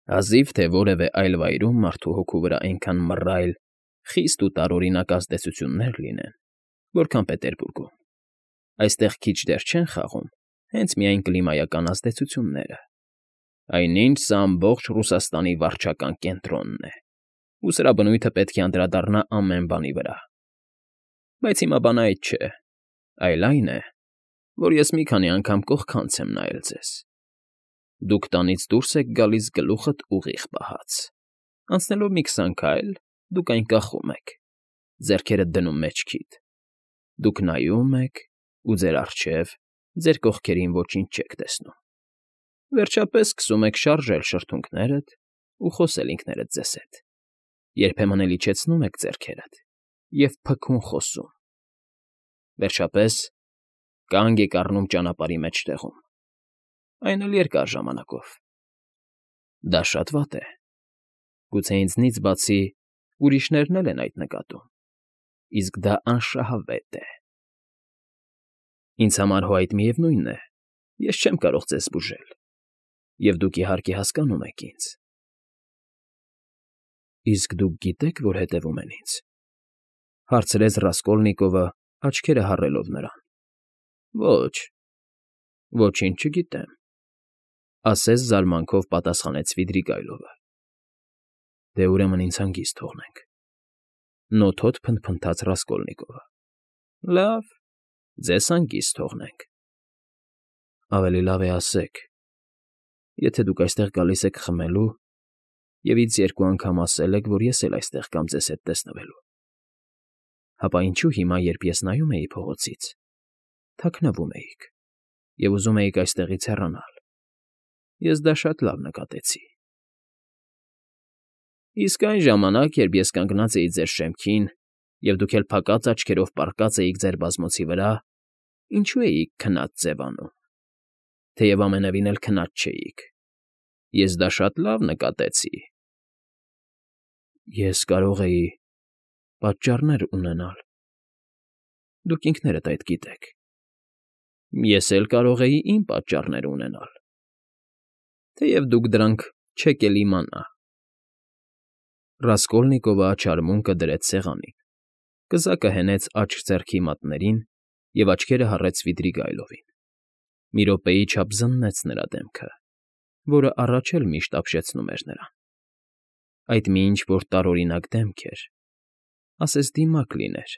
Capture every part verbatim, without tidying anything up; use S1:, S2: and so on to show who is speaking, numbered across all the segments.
S1: Հազիվ թե որևէ այլ վայրում մարդու հոգու վրա այնքան մռայլ, խիստ ու տարօրինակ ազդեցություններ լինեն, որքան Պետերբուրգում. այստեղ քիչ դեռ չեն խաղում հենց միայն կլիմայական ազդեցությունները, այնինչ սա ամբողջ Ռուսաստանի վարչական կենտրոնն է, ու սրա բնույթը պետք է անդրադառնա ամեն բանի վրա։ Բայց հիմա բանը այդ չէ, այլ այն է, որ ես մի քանի անգամ կողքանց եմ նայել ձեզ։ Դուք տանից դուրս եք գալիս գլուխդ ուղիղ պահած, անցնելով մի քսան քայլ, դուք այն կախում եք, ձեռքերդ դնում մեջքիդ, դուք նայում եք ու ձեր առջև, ձեր կողքերին ոչինչ չեք տեսնում, վերջապես սկսում եք շարժել շրթունքներդ ու խոսել ինքներդ ձեզ հետ, երբեմն էլ իջեցնում եք ձեռքերդ և փքուն խոսում, վերջապես կանգ եք առնում ճանապարհի մեջտեղում, այն էլ երկար ժամանակով։ Դա շատ վատ է, գուցե ինձնից բացի ուրիշներն էլ են այդ նկատում, իսկ դա անշահավետ է։ Ինձ համար հո այդ միևնույն է, ես չեմ կարող ձեզ բուժել, և դուք իհարկե հասկանում եք ինձ։ Իսկ դուք գիտե՞ք, որ հետևում են ինձ,֊ հարցրեց Ռասկոլնիկովը, աչքերը հառելով նրան։ Ոչ, ոչինչ չգիտեմ,֊ ասես զարմանքով պատասխանեց Սվիդրիգայլովը։ Դե ուրեմն ինձ հանգիստ թողնենք,֊ նոթոտ փնթփնթաց Ռասկոլնիկովը։ Լավ, ձեզ հանգիստ թողնենք։ Ավելի լավ է ասեք, եթե դուք այստեղ գալիս եք խմելու և ինձ երկու անգամ ասել եք, որ ես էլ այստեղ կամ ձեզ հետ տեսնվելու, ապա ինչու հիմա, երբ ես նայում էի փողոցից, թաքնվում էիք և ուզում էիք այստեղից հեռանալ, ես դա շատ լավ նկատեցի։ Իսկ այն ժամանակ, երբ ես կանգնած էի ձեր շեմքին, և դուք էլ փակած աչքերով պառկած էիք ձեր բազմոցի վրա, ինչո՞ւ էիք քնած ձևանում, թեև ամենևին էլ քնած չէիք, ես դա շատ լավ նկատեցի։ Ես կարող էի պատճառներ ունենալ, դուք ինքներդ այդ գիտեք։ Ես էլ կարող էի իմ պատճառները ունենալ, թեև դուք դրանք չեք էլ իմանա։ Ռասկոլնիկովը աչարմունկը դրեց սեղանին, կզակը հենեց աջ ձեռքի մատներին և աչքերը հառեց Սվիդրիգայլովին։ Մի րոպեի չափ զննեց նրա դեմքը, որը առաջ էլ միշտ ապշեցնում էր նրան։ Այդ մի ինչ֊որ տարօրինակ դեմք էր, ասես դիմակ լիներ,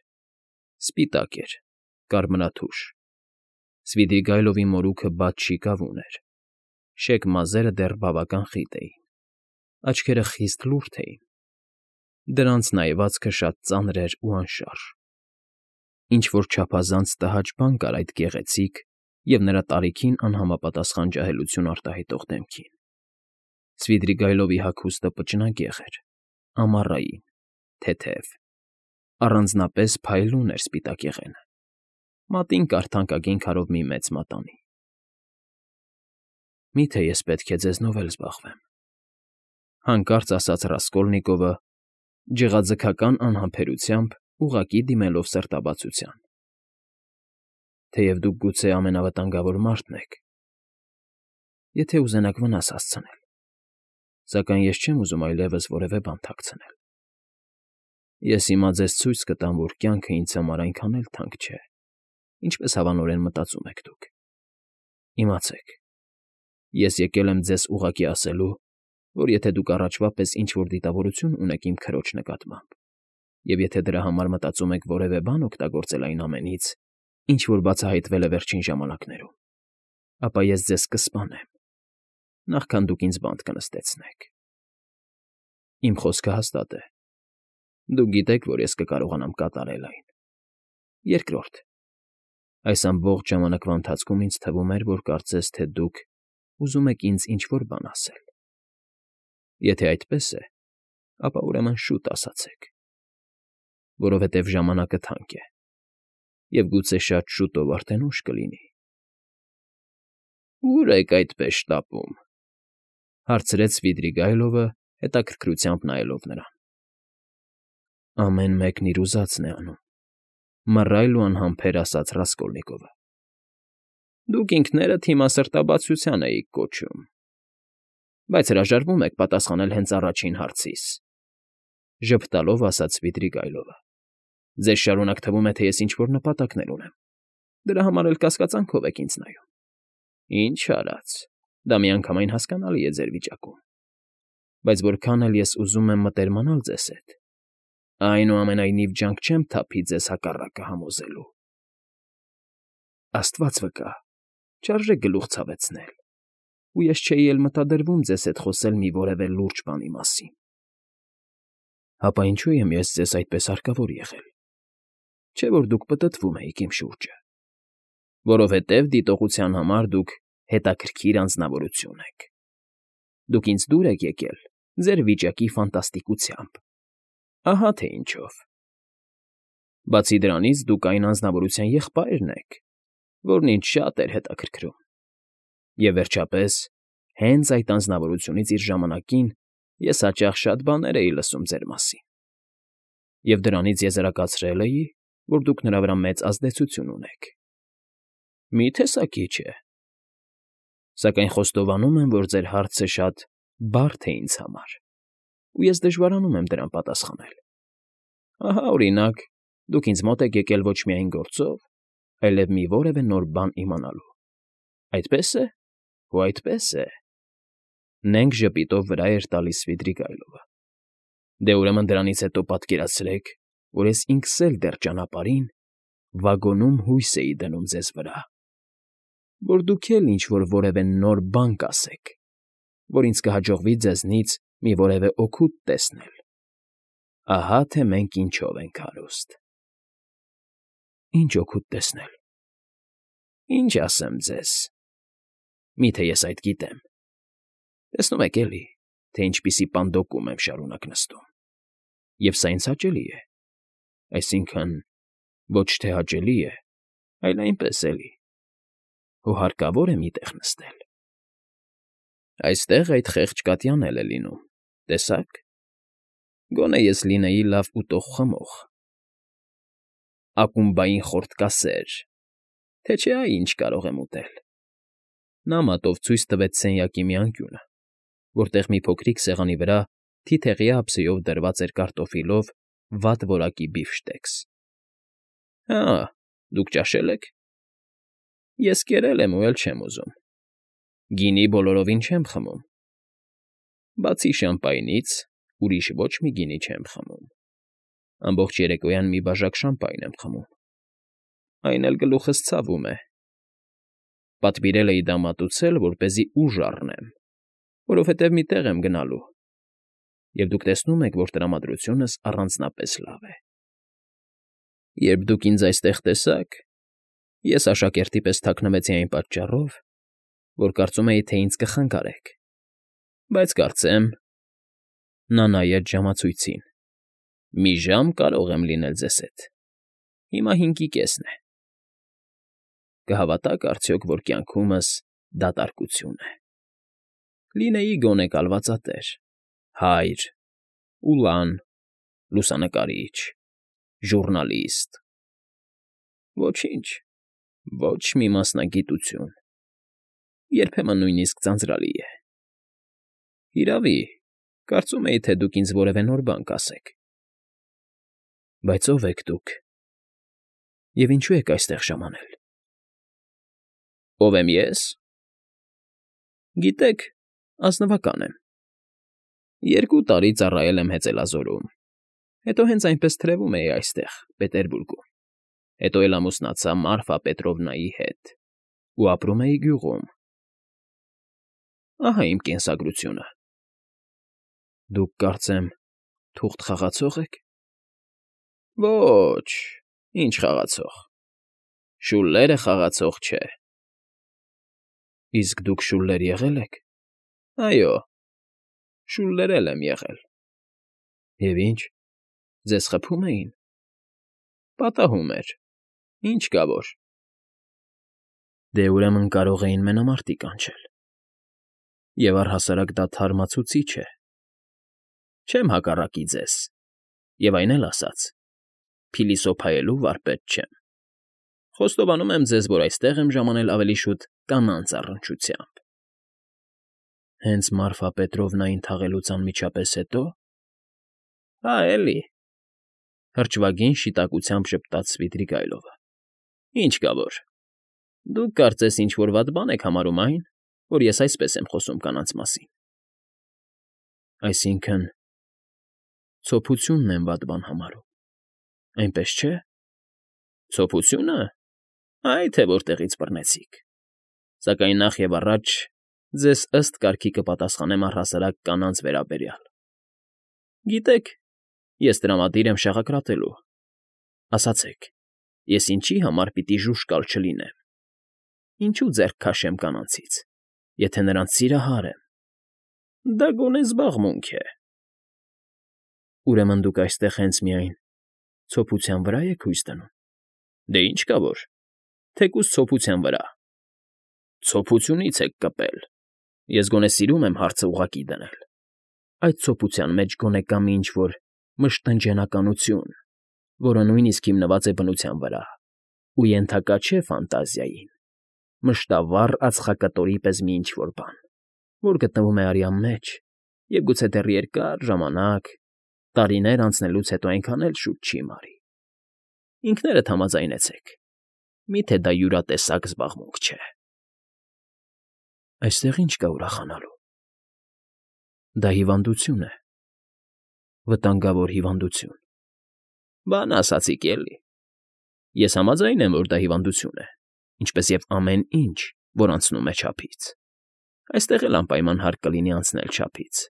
S1: սպիտակ էր, կարմրաթուշ։ Սվիդրիգայլովի մորուքը բաց շիկավուն էր, շեկ մազերը դեռ բավական խիտ էին, աչքերը խիստ լուրջ էին, դրանց նայվածքը շատ ծանր էր ու անշարժ։ Ինչ֊որ չափազանց տհաճ բան կար այդ գեղեցիկ և նրա տարիքին անհամապատասխան ջահելություն արտահայտող դեմքին։ Սվիդրիգայլովի հագուստը պճնագեղ էր, ամառային, թեթև, առանձնապես փայլուն էր սպիտակեղենը, մատին կար թանկագին քարով մի մեծ մատանի։ Մի՞թե ես պետք է ձեզնով էլ զբաղվեմ,֊ հանկարծ ասաց Ռասկոլնիկովը, ջղաձգական անհամբերությամբ ուղղակի դիմելով սրտաբացության։ Թեև դուք գուցե ամենավտանգավոր մարդն եք, եթե ուզենաք վնաս հասցնել, սակայն ես չեմ ուզում այլևս որևէ բան թաքցնել։ Ես հիմա ձեզ ցույց կտամ, որ կյանքը ինձ համար այնքան էլ թանկ չէ, ինչպես հավանորեն մտածում եք դուք։ Իմացեք, ես եկել եմ ձեզ ուղղակի ասելու, որ եթե դուք առաջվա պես ինչ֊որ դիտավորություն ունեք իմ քրոջ նկատմամբ, և եթե դրա համար մտածում եք որևէ բան օգտագործել այն ամենից, ինչ որ բացահայտվել է վերջին ժամանակներում, ապա ես ձեզ կսպանեմ, նախքան դուք ինձ բանտ կնստեցնեք։ Իմ խոսքը հաստատ է, դուք գիտեք, որ ես կկարողանամ կատարել այն։ Երկրորդ, այս ամբողջ ժամանակվա ընթացքում ինձ թվում էր, որ կարծես թե դուք ուզում եք ինձ ինչ֊որ բան ասել։ Եթե այդպես է, ապա ուրեմն շուտ ասացեք, որովհետև ժամանակը թանկ է, և գուցե շատ շուտով արդեն ուշ կլինի։ Ո՞ւր եք այդպես շտապում,֊ հարցրեց Սվիդրիգայլովը, հետաքրքրությամբ նայելով նրան։ Ամեն մեկն իր ուզածն է անում,֊ մռայլ ու անհամբեր ասաց Ռասկոլնիկովը։ Դուք ինքներդ հիմա սրտաբացության էիք կոչում։ Բայց հրաժարվում եք պատասխանել հենց առաջին հարցիս,֊ ժպտալով ասաց Սվիդրիգայլովը։ Ձեզ շարունակ թվում է, թե ես ինչ֊որ նպատակներ ունեմ, դրա համար էլ կասկածանքով եք ինձ նայում։ Ինչ արած, դա միանգամայն հասկանալի է ձեր վիճակում, բայց որքան էլ ես ուզում եմ մտերմանալ ձեզ հետ, այնուամենայնիվ ջանք չեմ թափի ձեզ հակառակը համոզելու։ Աստված վկա, չարժե գլուխ ցավեցնել, ու ես չէի էլ մտադրվում ձեզ հետ խոսել մի որևէ լուրջ բանի մասին։ Հապա ինչու եմ ես ձեզ այդպես հարկավոր եղել, չէ՞ որ դուք պտտվում էիք իմ շուրջը, որովհետև դիտողության համար դուք հետաքրքիր անձնավորություն եք։ Դուք ինձ դուր եք եկել ձեր վիճակի ֆանտաստիկությամբ, ահա թե ինչով։ Բացի դրանից դուք այն անձնավորության եղբայրն եք, որն ինձ շատ էր հետաքրքրում, և վերջապես, հենց այդ անձնավորությունից իր ժամանակին ես հաճախ շատ բաներ էի լսում ձեր մասին, և դրանից եզրակացրել էի, որ դուք նրա վրա մեծ ազդեցություն ունեք։ Մի՞թե սա քիչ է։ Սակայն խոստովանում եմ, որ ձեր հարցը շատ բարդ է ինձ համար, ու ես դժվարանում եմ դրան պատասխանել։ Ահա, օրինակ, դուք ինձ մոտ եք եկել ոչ միայն գործով, այլև մի որևէ նոր բան իմանալու։ Այդպե՞ս է, ու այդպես է,֊ նենգ ժպիտով վրա էր տալիս Սվիդրիգայլովը։ Դե ուրեմն դրանից հետո պատկերացրեք, որ ես ինքս էլ դեռ ճանապարհին, վագոնում հույս էի դնում ձեզ վրա, որ դուք էլ ինչ֊որ որևէ նոր բան կասեք, որ ինձ կհաջողվի ձեզնից մի որևէ օգուտ տեսնել։ Ահա թե մենք ինչով ենք հարուստ։ Ինչ օգուտ տեսնել։ Ինչ ասեմ ձեզ։ Մի՞թե ես այդ գիտեմ։ Տեսնում եք էլի, թե ինչպիսի պանդոկում եմ շարունակ նստում, և սա ինձ հաճելի է, այսինքն՝ ոչ թե հաճելի է, այլ այնպես էլի, ու հարկավոր է մի տեղ նստել։ Այստեղ այդ խեղճ կատյան էլ է լինում, տեսա՞ք, գոնե ես լինեի լավ ուտող֊խմող, ակումբային խորտկասեր, թե չէ այ ինչ կարող եմ ուտել։ Նա մատով ցույց տվեց սենյակի մի անկյունը, որտեղ մի փոքրիկ սեղանի վրա թիթեղյա ափսեով դրված էր կարտոֆիլով վատ որակի բիֆշտեքս։ Հա, դուք ճաշել եք։ Ես կերել եմ ու էլ չեմ ուզում։ Գինի բոլորովին չեմ խմում։ Բացի շամպայնից, ուրիշ ոչ մի գինի չեմ խմում։ Ամբողջ երեկոյան մի բաժակ շամպայն եմ խմում։ Այն էլ գլուխս ցավում է։ Պատվիրել էի դա մատուցել, որպեսզի ուժ առնեմ, որովհետև մի տեղ եմ գնալու, և դուք տեսնում եք, որ տրամադրությունս առանձնապես լավ է։ Երբ դուք ինձ այստեղ տեսաք, ես աշակերտի պես թաքնվեցի այն պատճառով, որ կարծում էի, թե ինձ կխանգարեք, բայց կարծեմ… Նա նայեց ժամացույցին։ Մի ժամ կարող եմ լինել ձեզ հետ, հիմա հինգի կեսն է։ Կհավատա՞ք արդյոք, որ կյանքումս դատարկություն է։ Լինեի գոնե կալվածատեր, հայր, ուլան, լուսանկարիչ, ժուռնալիստ… Ոչինչ, ոչ մի մասնագիտություն, երբեմն նույնիսկ ձանձրալի է։ Հիրավի, կարծում էի, թե դուք ինձ որևէ նոր բան կասեք։ Բայց ո՞վ եք դուք, և ինչու եք այստեղ ժամանել։ Ո՞վ եմ ես։ Գիտեք, ազնվական եմ։ Երկու տարի ծառայել եմ հեծելազորում, հետո հենց այնպես թրևում էի այստեղ, Պետերբուրգում, հետո էլ ամուսնացա Մարֆա Պետրովնայի հետ ու ապրում էի գյուղում։ Ահա իմ կենսագրությունը։ Դուք, կարծեմ, թուղթ խաղացո՞ղ եք։ Ոչ, ինչ խաղացող, շուլլերը խաղացող չէ։ Իսկ դուք շուլլեր եղե՞լ եք։ Այո, շուլլեր էլ եմ եղել։ Եվ ինչ, ձեզ խփում էին։ Պատահում էր, ինչ կա որ։ Դե ուրեմն կարող էին մենամարտի կանչել։ Եվ առհասարակ դա թարմացուցիչ է։ Չեմ հակառակի ձեզ, և այն էլ ասաց, փիլիսոփայելու վարպետ չեմ։ Խոստովանում եմ ձեզ, որ այստեղ եմ ժամանել ավելի շուտ կանանց առնչությամբ։ Հենց Մարֆա Պետրովնային թաղելուց անմիջապես հետո՞։ Հա, էլի,֊ հրճվագին շիտակությամբ ժպտաց Սվիդրիգայլովը։֊ Ինչ կա որ։ Դուք կարծես ինչ֊որ վատ բան եք համարում այն, որ ես այսպես եմ խոսում կանանց մասին։ Այսինքն՝ ցոփությունն եմ վատ բան համարում, այնպես չէ՞։ Ցոփությո՞ւնը։ Այ թե որտեղից բռնեցիք։ Սակայն նախ և առաջ ձեզ ըստ կարգի կպատասխանեմ առհասարակ կանանց վերաբերյալ։ Գիտեք, ես տրամադիր եմ շաղակրատելու։ Ասացեք, ես ինչի համար պիտի ժուժկալ չլինեմ, ինչու ձեռք քաշեմ կանանցից, եթե նրանց սիրահար եմ։ Դա գոնե զբաղմունք է։ Ուրեմն դուք այստեղ հենց միայն ցոփության վրա եք հույս դնում։ Դե ինչ կա որ, թեկուզ ցոփության վրա։ Ցոփությունից եք կպել։ Ես գոնե սիրում եմ հարցը ուղղակի դնել։ Այդ ցոփության մեջ գոնե կա մի ինչ֊որ մշտնջենականություն, որը նույնիսկ հիմնված է բնության վրա ու ենթակա չէ ֆանտազիային, մշտավառ ածխակտորի պես մի ինչ֊որ բան, որ գտնվում է արյան մեջ և գուցե դեռ երկար ժամանակ, տարիներ անցնելուց հետո այնքան էլ շուտ չի մարի։ Ինքներդ համաձայնեցեք, մի՞թե դա յուրատեսակ զբաղմունք չէ։ Այստեղ ի՞նչ կա ուրախանալու։ Դա հիվանդություն է, վտանգավոր հիվանդություն։ Բան ասացիք էլի։ Ես համաձայն եմ, որ դա հիվանդություն է, ինչպես և ամեն ինչ, որ անցնում է չափից։ Այստեղ էլ անպայման հարկ կլինի անցնել չափից։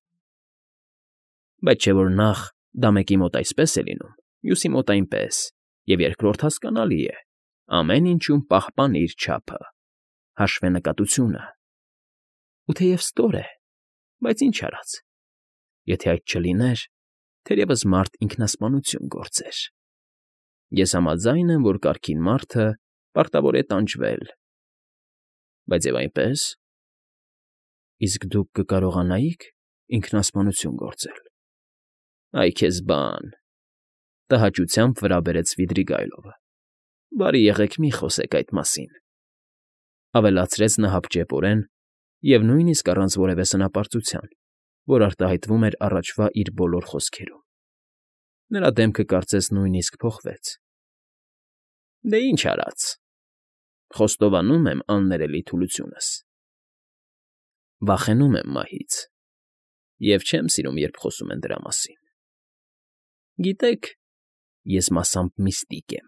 S1: Բայց չէ որ նախ դա մեկի մոտ այսպես է լինում, մյուսի մոտ այնպես, և երկրորդ հասկանալի է, ամեն ինչում պահպանիր չափը, հաշվենկատությունը։ Ու թեև ստոր է, բայց ինչ արած, եթե այդ չլիներ, թերևս մարդ ինքնասպանություն գործեր։ Ես համաձայն եմ, որ կարգին մարդը պարտավոր է տանջվել։ Բայց և այնպես։ Իսկ դուք կկարողանայի՞ք ինքնասպանություն գործել։ Այ քեզ բան,֊ տհաճությամբ վրա բերեց Սվիդրիգայլովը։֊ Բարի եղեք մի խոսեք այդ մասին,֊ ավելացրեց նա հապճեպորեն և նույնիսկ առանց որևէ սնապարծության, որ արտահայտվում էր առաջվա իր բոլոր խոսքերում։ Նրա դեմքը կարծես նույնիսկ փոխվեց։ Դե ինչ արած։ Խոստովանում եմ աններելի թուլությունս։ Վախենում եմ մահից և չեմ սիրում, երբ խոսում են դրա մասին։ Գիտեք, ես մասամբ միստիկ եմ։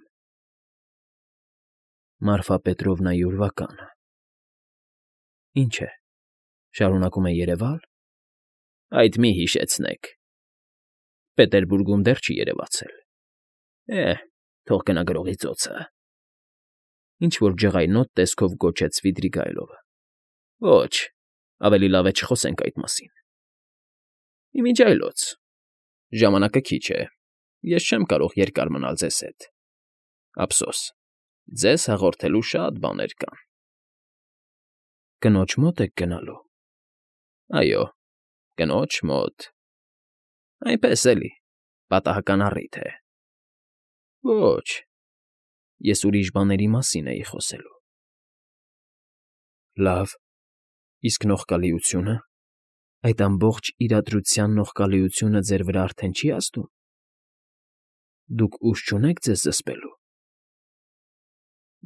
S1: Մարֆա Պետրովնայի ուրվականը։ Ինչ է, շարունակում է երևալ։ Այդ մի հիշեցնեք։ Պետերբուրգում դեռ չի երևացել։ Է՛հ, թող գնա գրողի ծոցը։ Ինչ֊որ ջղայնոտ տեսքով գոչեց Սվիդրիգայլովը։ Ոչ, ավելի լավ է չխոսենք այդ մասին։ Ի միջի այլոց, ժամանակը քիչ է, ես չեմ կարող երկար մնալ ձեզ հետ։ Ափսոս, ձեզ հաղորդելու շատ բաներ կան։ Կնոջ մո՞տ եք գնալու։ Այո, կնոջ մոտ։ Այնպես էլի, պատահական առիթ է։ Ոչ, ես ուրիշ բաների մասին էի խոսելու։ Լավ, իսկ նողկալիությո՞ւնը։ Այդ ամբողջ իրադրության նողկալիությունը ձեր վրա արդեն չի ազդու։ Դուք ուժ չունեք ձեզ զսպելու։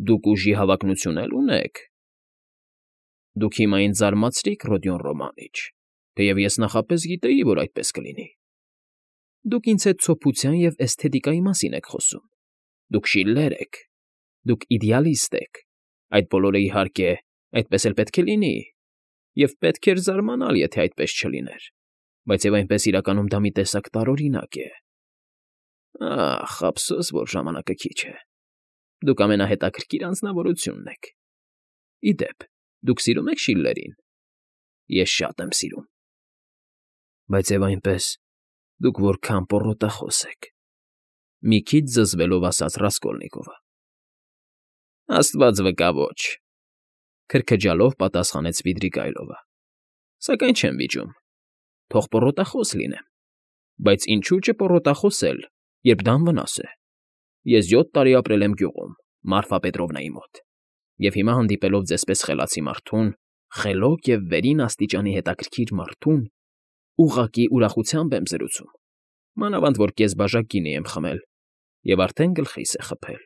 S1: Դուք ուժի հավակնություն էլ ունեք։ Դուք հիմա ինձ զարմացրիք, Ռոդիոն Ռոմանիչ, թեև ես նախապես գիտեի, որ այդպես կլինի։ Դուք ինձ հետ ցոփության և էսթետիկայի մասին եք խոսում։ Դուք Շիլլեր եք։ Դուք իդեալիստ եք։ Այդ բոլորը, իհարկե, այդպես էլ պետք է լինի, և պետք էր զարմանալ, եթե այդպես չլիներ, բայց և այնպես իրականում դա մի տեսակ տարօրինակ է։ Ախ, ափսոս, որ ժամանակը քիչ է։ Դուք ամենահետաքրքիր անձնավորությունն եք։ Ի դեպ, դուք սիրո՞ւմ եք Շիլլերին։ Ես շատ եմ սիրում։ Բայց և այնպես, դուք որքան պոռոտախոս եք,֊ մի քիչ զզվելով ասաց Ռասկոլնիկովը։ Աստված վկա, ոչ,֊ քրքջալով պատասխանեց Սվիդրիգայլովը։ Սակայն չեմ վիճում։ Թող պոռոտախոս լինեմ։ Բայց ինչու՞ չպոռոտախոսել, երբ դա անվնաս է։ Ես յոթ տարի ապրել եմ գյուղում, Մարֆա Պետրովնայի մոտ, և հիմա հանդիպելով ձեզպես խելացի մարդուն, խելոք և վերին աստիճանի հետաքրքիր մարդուն ուղղակի ուրախությամբ եմ զրուցում, մանավանդ որ կես բաժակ գինի եմ խմել և արդեն գլխիս է խփել։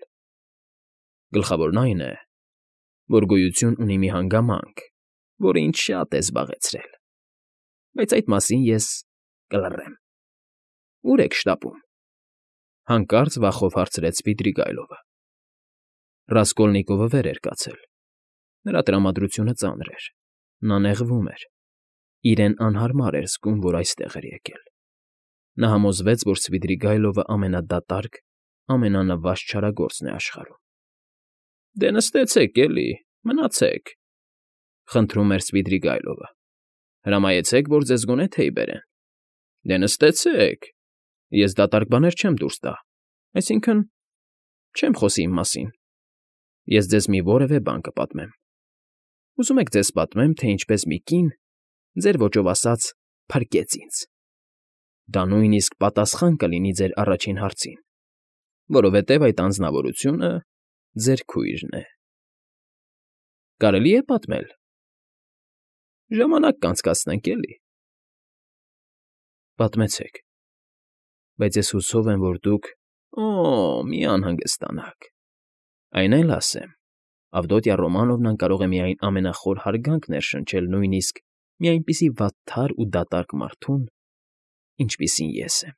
S1: Գլխավորն այն է, որ գոյություն ունի մի հանգամանք, որը ինձ շատ է զբաղեցրել, բայց այդ մասին ես կլռեմ։ ֊ Ո՞ւր եք շտապում,֊ հանկարծ վախով հարցրեց Սվիդրիգայլովը։ Ռասկոլնիկովը վեր էր կացել. նրա տրամադրությունը ծանր էր, նա նեղվում էր, իրեն անհարմար էր զգում, որ այստեղ էր եկել։ Նա համոզվեց, որ Սվիդրիգայլովը ամենադատարկ, ամենանվաստ չարագործն է աշխարհում։ ֊ Դե նստեցեք, էլի, մնացեք,֊ խնդրում էր Սվիդրիգայլովը։ Հրամայեցեք, որ ձեզ գոնե թեյ բերեն։ ֊ Դե նստեցեք, ես դատարկ բաներ չեմ դուրս տա, այսինքն՝ չեմ խոսի իմ մասին, ես ձեզ մի որևէ բան կպատմեմ։ Ուզում եք ձեզ պատմեմ, թե ինչպես մի կին, ձեր ոճով ասած, փրկեց ինձ։ Դա նույնիսկ պատասխան կլինի ձեր առաջին հարցին, որովհետև այդ անձնավորությունը ձեր քույրն է։ Կարելի՞ է պատմել։ Ժամանակ կանցկացնենք, էլի։ Պատմեցեք, բայց ես հուսով եմ, որ դուք… Օ՜, մի անհանգստանաք, այն էլ ասեմ, Ավդոտյա Ռոմանովնան կարող է միայն ամենախոր հարգանք ներշնչել նույնիսկ մի այնպիսի վատթար ու դատարկ մարդուն, ինչպիսին ես եմ։